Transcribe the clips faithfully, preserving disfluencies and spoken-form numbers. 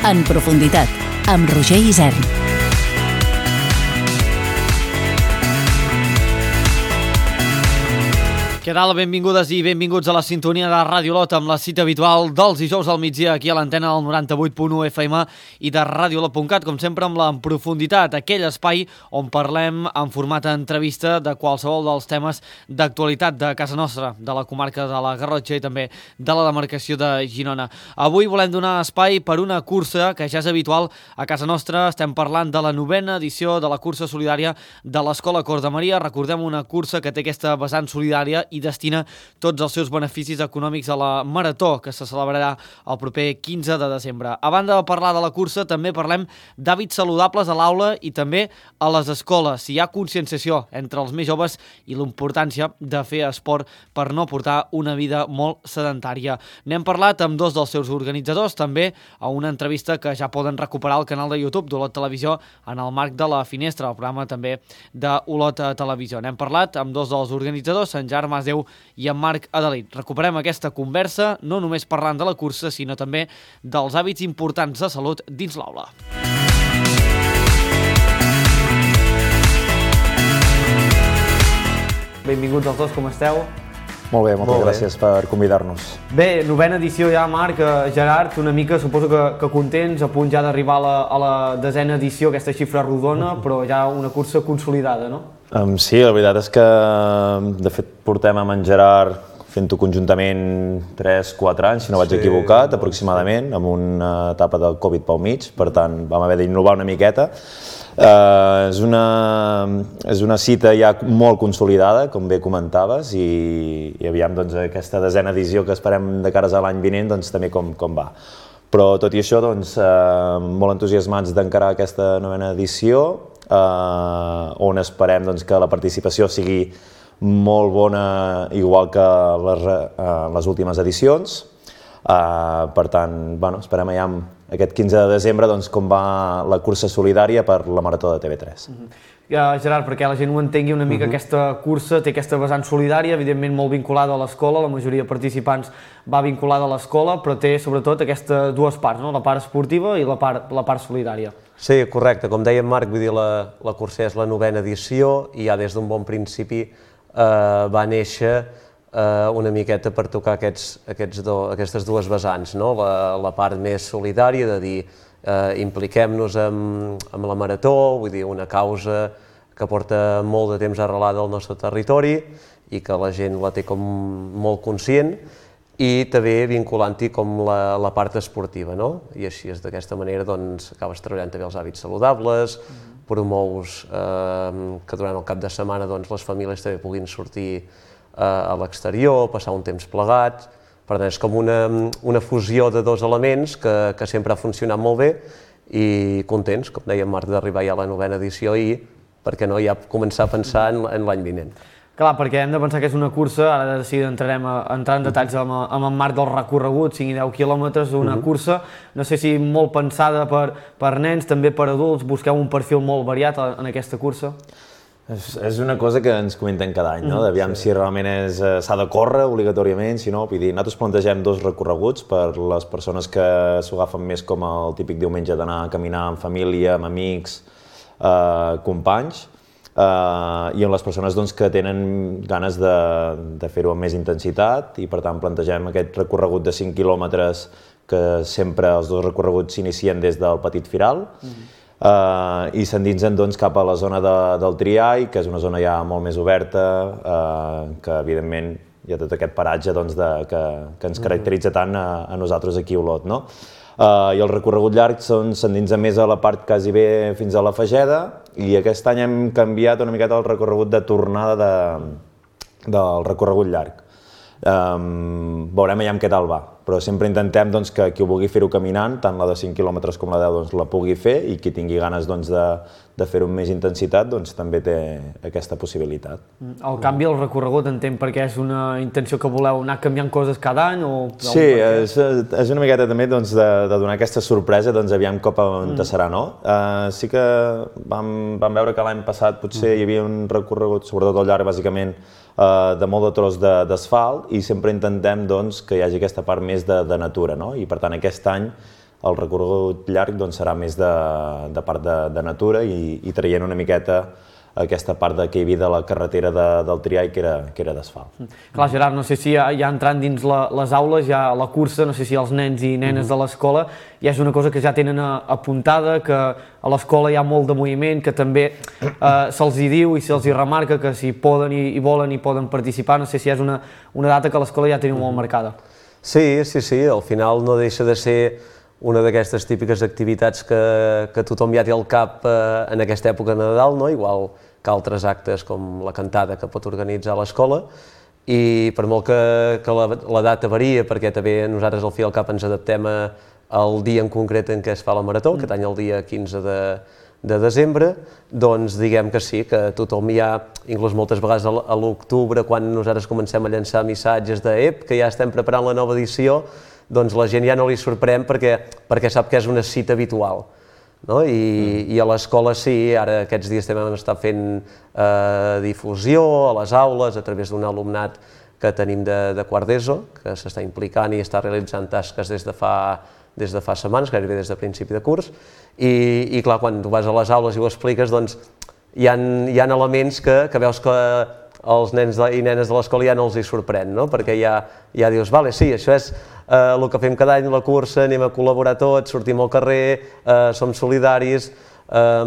En profunditat, amb Roger Isern. Què tal? Benvingudes i benvinguts a la sintonia de Ràdio Olot amb la cita habitual dels dijous al migdia aquí a l'antena del noranta-vuit punt u F M i de radiolot punt cat, com sempre amb la En profunditat, aquell espai on parlem en format entrevista de qualsevol dels temes d'actualitat de casa nostra, de la comarca de la Garrotxa i també de la demarcació de Girona. Avui volem donar espai per una cursa que ja és habitual a casa nostra. Estem parlant de la novena edició de la cursa solidària de l'Escola Cor de Maria. Recordem, una cursa que té aquesta vessant solidària i destina tots els seus beneficis econòmics a la Marató, que se celebrarà el proper quinze de desembre. A banda de parlar de la cursa, també parlem d'hàbits saludables a l'aula i també a les escoles. Si hi ha conscienciació entre els més joves i l'importància de fer esport per no portar una vida molt sedentària. N'hem parlat amb dos dels seus organitzadors, també a una entrevista que ja poden recuperar al canal de YouTube d'Olot Televisió en el marc de la Finestra, el programa també d'Olot Televisió. N'hem parlat amb dos dels organitzadors, en Germà Déu i en Marc Adelit. Recuperem aquesta conversa, no només parlant de la cursa, sinó també dels hàbits importants de salut dins l'aula. Benvinguts els dos, com esteu? Molt bé, moltes Molt gràcies bé. per convidar-nos. Bé, novena edició ja, Marc. Gerard, una mica suposo que, que contents, a punt ja d'arribar a, la, a la desena edició, aquesta xifra rodona, però ja una cursa consolidada, no? Um, sí, la veritat és que, de fet, portem amb en Gerard fent-ho conjuntament tres quatre anys, si no vaig sí, equivocat, aproximadament, amb una etapa del Covid pel mig, per tant, vam haver d'innovar una miqueta. Uh, és, una, és una cita ja molt consolidada, com bé comentaves, i, i aviam doncs, aquesta desena edició que esperem de cares a l'any vinent, doncs, també com, com va. Però tot i això, doncs, uh, molt entusiasmats d'encarar aquesta novena edició, uh, on esperem doncs, que la participació sigui molt bona, igual que les, uh, les últimes edicions. Uh, per tant, bueno, esperem allà aquest quinze de desembre doncs, com va la cursa solidària per la Marató de T V tres. Uh-huh. uh, Gerard, perquè la gent ho entengui una mica, uh-huh. aquesta cursa té aquesta vessant solidària, evidentment molt vinculada a l'escola, la majoria de participants va vinculada a l'escola, però té sobretot aquestes dues parts, no? La part esportiva i la part, la part solidària. Sí, correcte. Com deia en Marc, vull dir, la, la cursa és la novena edició i ja des d'un bon principi eh, va néixer Uh, una miqueta per tocar aquests, aquests do, aquestes dues vessants, no? la, la part més solidària de dir uh, impliquem-nos amb, amb la Marató, vull dir, una causa que porta molt de temps arrelada al nostre territori i que la gent la té com molt conscient, i també vinculant-hi com la, la part esportiva, no? I així és d'aquesta manera doncs, acabes treballant també els hàbits saludables, mm-hmm. promous uh, que durant el cap de setmana doncs, les famílies també puguin sortir a l'exterior, passar un temps plegats. Per tant, és com una, una fusió de dos elements que, que sempre ha funcionat molt bé i contents, com deia en Marc, d'arribar ja a la novena edició i, per què no, ja començar a pensar en, en l'any vinent. Clar, perquè hem de pensar que és una cursa, ara de seguida entrarem a, a entrar en detalls amb, amb en Marc del recorregut, cinc i deu quilòmetres, una uh-huh. cursa, no sé si molt pensada per, per nens, també per adults, busqueu un perfil molt variat en aquesta cursa? És, és una cosa que ens comenten cada any, no? D'aviam sí. si realment s'ha de córrer obligatòriament, si no, vull dir, nosaltres plantegem dos recorreguts per les persones que s'ho agafen més com el típic diumenge d'anar a caminar amb família, amb amics, eh, companys, eh, i amb les persones doncs, que tenen ganes de, de fer-ho amb més intensitat, i per tant plantegem aquest recorregut de cinc quilòmetres que sempre els dos recorreguts s'inicien des del Petit Firal, mm-hmm. Uh, i s'endinsen doncs, cap a la zona de, del Triai, que és una zona ja molt més oberta, uh, que evidentment hi ha tot aquest paratge doncs, de, que, que ens caracteritza tant a, a nosaltres aquí a Olot. No? Uh, I el recorregut llarg s'endinsa més a la part quasi bé fins a la Fageda, i aquest any hem canviat una miqueta el recorregut de tornada de, del recorregut llarg. Um, veurem allà amb què tal va, però sempre intentem doncs, que qui ho vulgui fer-ho caminant, tant la de cinc quilòmetres com la de deu, doncs, la pugui fer, i qui tingui ganes doncs, de, de fer-ho amb més intensitat doncs, també té aquesta possibilitat. El canvi del recorregut entenc perquè és una intenció que voleu anar canviant coses cada any? O... Sí, és, és una miqueta també doncs, de, de donar aquesta sorpresa, doncs aviam cop on mm. serà, no? Uh, sí que vam, vam veure que l'any passat potser mm. hi havia un recorregut, sobretot al llarg bàsicament, Uh, de molt de tros d'asfalt, i sempre intentem doncs, que hi hagi aquesta part més de, de natura, no? I per tant aquest any el recorregut llarg doncs, serà més de, de part de, de natura i, i traient una miqueta aquesta part de que hi havia de la carretera de, del Triall, que era, que era d'asfalt. Clar, Gerard, no sé si ja, ja entrant dins la, les aules, ja la cursa, no sé si els nens i nenes de l'escola ja és una cosa que ja tenen apuntada, que a l'escola hi ha molt de moviment, que també eh, se'ls hi diu i se'ls hi remarca que si poden i, i volen i poden participar, no sé si és una, una data que a l'escola ja teniu molt marcada. Sí, sí, sí, al final no deixa de ser una d'aquestes típiques activitats que, que tothom ja té al cap eh, en aquesta època de Nadal, no? Igual que altres actes com la cantada que pot organitzar l'escola, i per molt que, que la, la data varia, perquè també nosaltres al fi i al cap ens adaptem a, al dia en concret en què es fa la marató, aquest any el dia quinze de, de desembre, doncs diguem que sí, que tothom ja, inclús moltes vegades a l'octubre, quan nosaltres comencem a llançar missatges de ep, que ja estem preparant la nova edició, doncs la gent ja no li sorprèn perquè, perquè sap que és una cita habitual. No? I, mm. I a l'escola sí, ara aquests dies també hem estat fent eh, difusió a les aules a través d'un alumnat que tenim de, de quart d'ESO, que s'està implicant i està realitzant tasques des de fa, des de fa setmanes, gairebé des de principi de curs, i, i clar, quan tu vas a les aules i ho expliques, doncs hi ha, hi ha elements que, que veus que els nens i nenes de l'escola ja no els hi sorprèn, no? Perquè ja, ja dius, vale, sí, això és eh, el que fem cada any, la cursa, anem a col·laborar tots, sortim al carrer, eh, som solidaris, eh,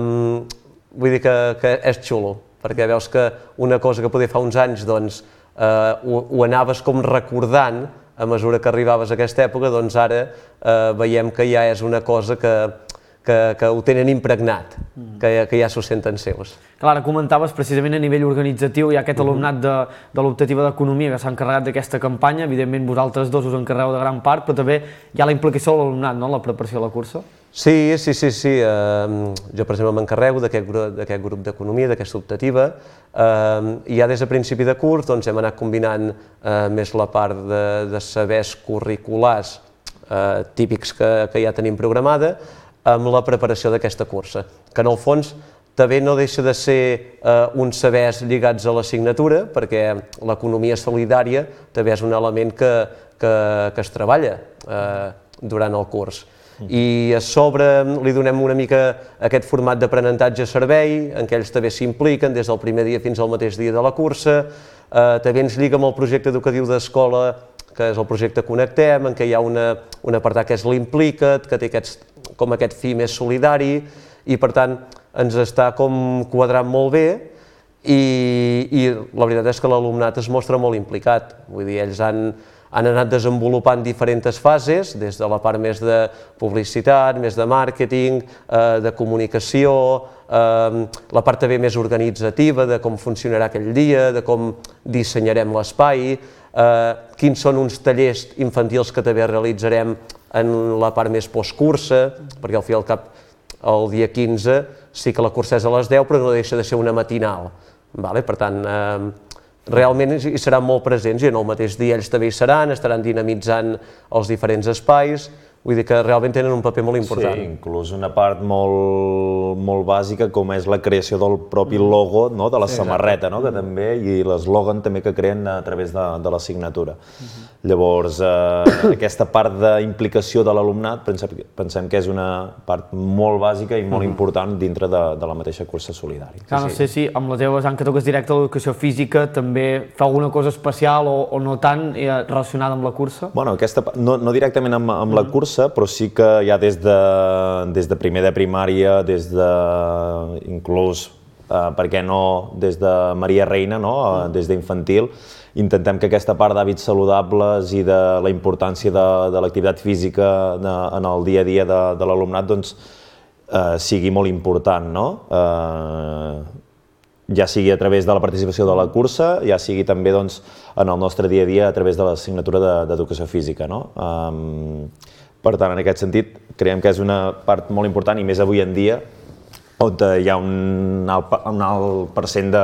vull dir que, que és xulo, perquè veus que una cosa que poder fa uns anys doncs, eh, ho, ho anaves com recordant a mesura que arribaves a aquesta època, doncs ara eh, veiem que ja és una cosa que, que, que ho tenen impregnat, que, que ja s'ho senten seus. Clar, comentaves precisament a nivell organitzatiu, hi ha aquest alumnat de, de l'optativa d'Economia que s'ha encarregat d'aquesta campanya, evidentment vosaltres dos us encarregueu de gran part, però també hi ha la implicació de l'alumnat, no?, en la preparació de la cursa. Sí, sí, sí, sí. Uh, jo, per exemple, m'encarrego d'aquest grup, grup d'economia, d'aquesta optativa, uh, i ja des de principi de curs doncs, hem anat combinant uh, més la part de, de sabers curriculars uh, típics que, que ja tenim programada, amb la preparació d'aquesta cursa, que en el fons també no deixa de ser eh, uns sabers lligats a l'assignatura, perquè l'economia solidària també és un element que, que, que es treballa eh, durant el curs. I a sobre li donem una mica aquest format d'aprenentatge-servei, en què ells també s'impliquen des del primer dia fins al mateix dia de la cursa, eh, també ens lliga amb el projecte educatiu d'escola, que és el projecte Connectem, en què hi ha una, un apartat que és l'Implica't, que té aquests, com aquest fi més solidari, i per tant ens està com quadrant molt bé, i, i la veritat és que l'alumnat es mostra molt implicat. Vull dir, ells han, han anat desenvolupant diferents fases, des de la part més de publicitat, més de màrqueting, eh, de comunicació, eh, la part també més organitzativa, de com funcionarà aquell dia, de com dissenyarem l'espai, eh, quins són uns tallers infantils que també realitzarem en la part més postcursa, perquè al fi i al cap el dia quinze sí que la cursa és a les deu, però no deixa de ser una matinal. Vale? Per tant, eh, realment hi seran molt presents i en el mateix dia ells també hi seran, estaran dinamitzant els diferents espais, vull dir que realment tenen un paper molt important. Sí, inclús una part molt, molt bàsica com és la creació del propi logo, no? De la sí, samarreta, no? Que també, i l'eslògan també que creen a través de, de la signatura. Uh-huh. Llavors, eh, aquesta part d'implicació de l'alumnat pensem, pensem que és una part molt bàsica i molt uh-huh. important dintre de, de la mateixa cursa solidària. Clar, no sé si amb la teva vessant que toques directe a l'educació física també fa alguna cosa especial o, o no tant eh, relacionada amb la cursa? Bueno, aquesta, no, no directament amb, amb la cursa, però sí que ja des de, des de primer de primària, des de, inclús, eh, per què no, des de Maria Reina, no? eh, des d'infantil, intentem que aquesta part d'hàbits saludables i de la importància de, de l'activitat física de, en el dia a dia de, de l'alumnat doncs, eh, sigui molt important, no? Eh, ja sigui a través de la participació de la cursa, ja sigui també doncs, en el nostre dia a dia a través de l'assignatura d'educació física, no? Eh, Per tant, en aquest sentit, creiem que és una part molt important i més avui en dia on hi ha un alt, un alt percent de,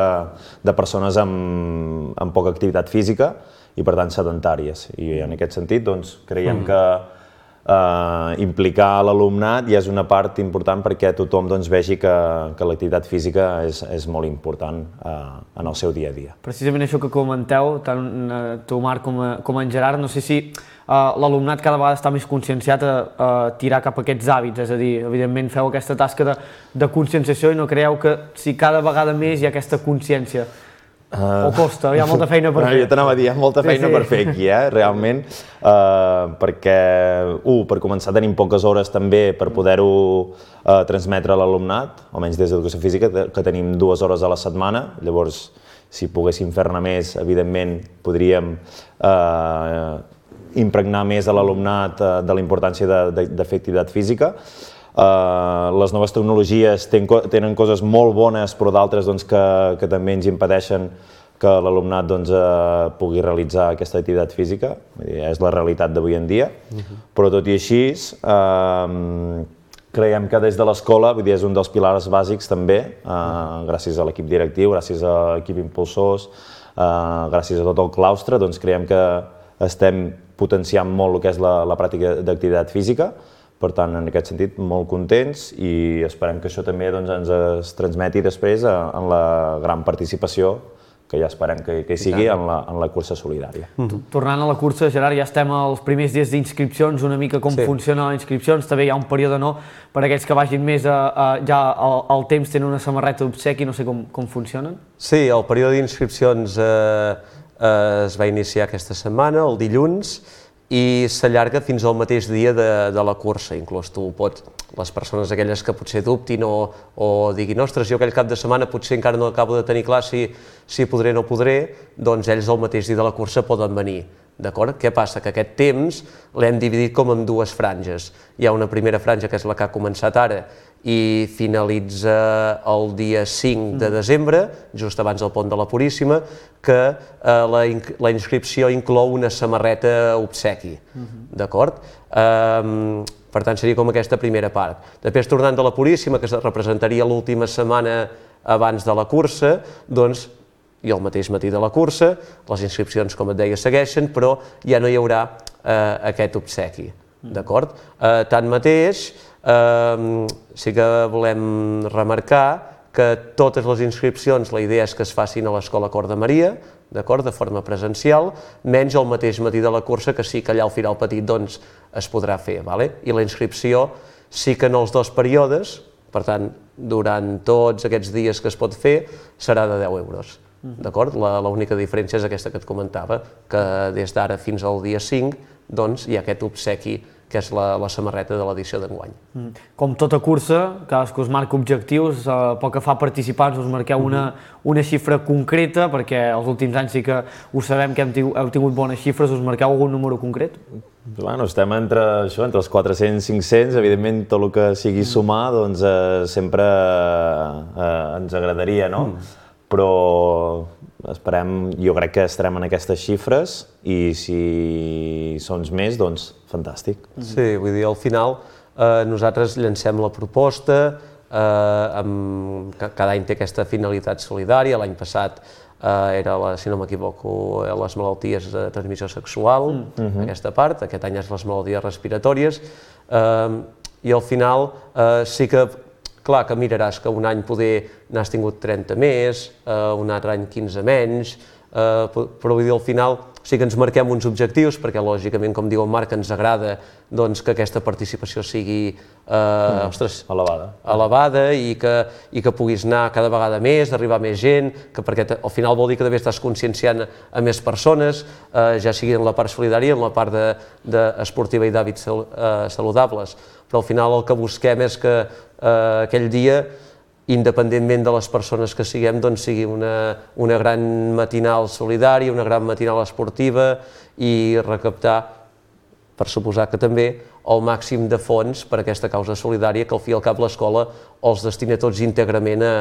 de persones amb, amb poca activitat física i per tant sedentàries. I en aquest sentit doncs, creiem que eh, implicar l'alumnat ja és una part important perquè tothom doncs, vegi que, que l'activitat física és, és molt important eh, en el seu dia a dia. Precisament això que comenteu, tant tu Marc com, com en Gerard, no sé si l'alumnat cada vegada està més conscienciat a, a tirar cap a aquests hàbits, és a dir, evidentment feu aquesta tasca de, de conscienciació i no creieu que si cada vegada més hi ha aquesta consciència? Uh, o costa, hi ha molta feina per no, fer. Jo t'anava a dir, hi ha molta feina sí, sí. per fer aquí, eh, realment, uh, perquè, uh, per començar tenim poques hores també per poder-ho uh, transmetre a l'alumnat, almenys des d'Educació Física, que tenim dues hores a la setmana, llavors, si poguéssim fer-ne més, evidentment, podríem uh, impregnar més a l'alumnat uh, de la importància de, de, de fer activitat física. Uh, les noves tecnologies ten, tenen coses molt bones, però d'altres doncs, que, que també ens impedeixen que l'alumnat doncs, uh, pugui realitzar aquesta activitat física. Vull dir, és la realitat d'avui en dia, uh-huh. però tot i així, uh, creiem que des de l'escola, vull dir, és un dels pilars bàsics també, uh, gràcies a l'equip directiu, gràcies a l'equip impulsors, uh, gràcies a tot el claustre, doncs creiem que estem potenciant molt el que és la, la pràctica d'activitat física. Per tant, en aquest sentit, molt contents i esperem que això també doncs, ens es transmeti després en la gran participació que ja esperem que, que hi sigui en la, en la cursa solidària. Mm-hmm. Tornant a la cursa, Gerard, ja estem als primers dies d'inscripcions, una mica com sí. funciona les inscripcions, també hi ha un període no per a aquells que vagin més a, a, ja al, al temps tenen una samarreta d'obsequi, no sé com, com funcionen? Sí, el període d'inscripcions eh, eh, es va iniciar aquesta setmana, el dilluns, i s'allarga fins al mateix dia de, de la cursa. Inclús tu pots, les persones aquelles que potser dubtin o, o diguin ostres, jo aquell cap de setmana potser encara no acabo de tenir clar si, si podré o no podré, doncs ells el mateix dia de la cursa poden venir. D'acord? Què passa? Que aquest temps l'hem dividit com en dues franges. Hi ha una primera franja que és la que ha començat ara i finalitza el dia cinc de desembre, just abans del pont de la Puríssima, que eh, la, la inscripció inclou una samarreta obsequi. Uh-huh. D'acord? Um, per tant, seria com aquesta primera part. Després, tornant de la Puríssima, que representaria l'última setmana abans de la cursa, doncs, i el mateix matí de la cursa, les inscripcions, com et deia, segueixen, però ja no hi haurà eh, aquest obsequi, d'acord? Eh, tanmateix, eh, sí que volem remarcar que totes les inscripcions, la idea és que es facin a l'Escola Cor de Maria, d'acord, de forma presencial, menys el mateix matí de la cursa, que sí que allà al Firal Petit doncs, es podrà fer, vale? I la inscripció sí que en els dos períodes, per tant, durant tots aquests dies que es pot fer, serà de deu euros. D'acord? L'única diferència és aquesta que et comentava, que des d'ara fins al dia cinc doncs, hi ha aquest obsequi que és la, la samarreta de l'edició d'enguany. Com tota cursa, cadascú us marca objectius, eh, pel que fa a participants us marqueu una, una xifra concreta, perquè els últims anys sí que ho sabem que hem tingut, heu tingut bones xifres, us marqueu algun número concret? Bueno, estem entre, això, entre els quatre-cents i cinc-cents, evidentment tot el que sigui sumar doncs, eh, sempre eh, ens agradaria, no? Mm. Però esperem, jo crec que estarem en aquestes xifres i si són més, doncs fantàstic. Sí, vull dir, al final eh, nosaltres llancem la proposta, eh, amb, cada any té aquesta finalitat solidària, l'any passat eh, era, la, si no m'equivoco, les malalties de transmissió sexual, mm-hmm. aquesta part, aquest any és les malalties respiratòries, eh, i al final eh, sí que clar que miraràs que un any poder n'has tingut trenta més, eh, un altre any quinze menys, eh, però vull dir, al final sí que ens marquem uns objectius, perquè lògicament, com diu el Marc, ens agrada doncs, que aquesta participació sigui eh, mm, ostres, elevada, elevada i, que, i que puguis anar cada vegada més, arribar a més gent, que perquè al final vol dir que també estàs conscienciant a més persones, eh, ja sigui en la part solidària, en la part de, de esportiva i d'hàbits sal, eh, saludables, però al final el que busquem és que eh, aquell dia, independentment de les persones que siguem, doncs sigui una, una gran matinal solidària, una gran matinal esportiva i recaptar, per suposar que també, el màxim de fons per a aquesta causa solidària que al fi i al cap l'escola els destina tots íntegrament a,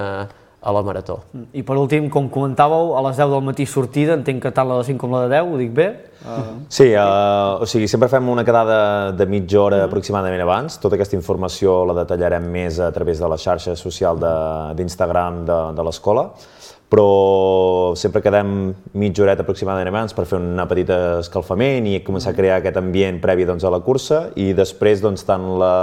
a la marató. I per últim, com comentàveu, a les deu del matí sortida, entenc que tant la de cinc com la de deu, ho dic bé? Uh... Sí, uh, o sigui, sempre fem una quedada de mitja hora uh-huh. aproximadament abans. Tota aquesta informació la detallarem més a través de la xarxa social d'Instagram de, de, de l'escola, però sempre quedem mitja horeta aproximadament abans per fer un petit escalfament i començar a crear aquest ambient previ doncs, a la cursa, i després doncs, tant la,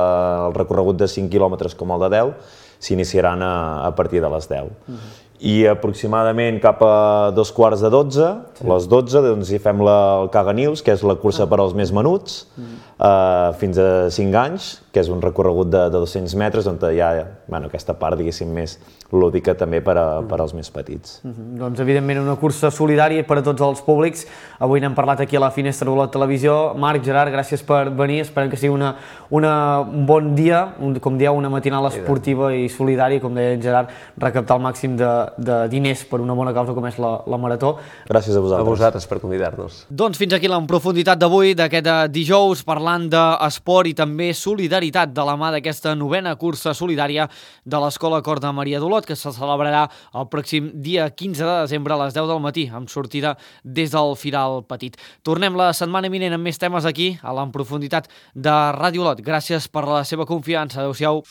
el recorregut de cinc quilòmetres com el de deu s'iniciaran a, a partir de les deu. Uh-huh. i aproximadament cap a dos quarts de dotze, sí. les dotze, doncs hi fem la, el Caga News, que és la cursa ah. per als més menuts, mm. uh, fins a cinc anys, que és un recorregut de, de dos-cents metres, on hi ha bueno, aquesta part, diguéssim, més lúdica també per, a, mm. per als més petits. Mm-hmm. Doncs, evidentment, una cursa solidària per a tots els públics. Avui n'hem parlat aquí a la Finestra de la Televisió. Marc, Gerard, gràcies per venir. Esperem que sigui una, una, un bon dia, un, com dieu, una matinal esportiva i solidària, com deia en Gerard, recaptar el màxim de, de diners per una bona causa com és la, la Marató. Gràcies a vosaltres. A vosaltres per convidar-nos. Doncs fins aquí la profunditat d'avui, d'aquest dijous, parlant d'esport i també solidaritat de la mà d'aquesta novena cursa solidària de l'Escola Cor de Maria d'Olot, que se celebrarà el pròxim dia quinze de desembre a les deu del matí, amb sortida des del Firal Petit. Tornem la setmana vinent amb més temes aquí, a l'En Profunditat de Ràdio Olot. Gràcies per la seva confiança. Adéu-siau.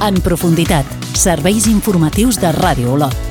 En Profunditat, serveis informatius de Ràdio Olot.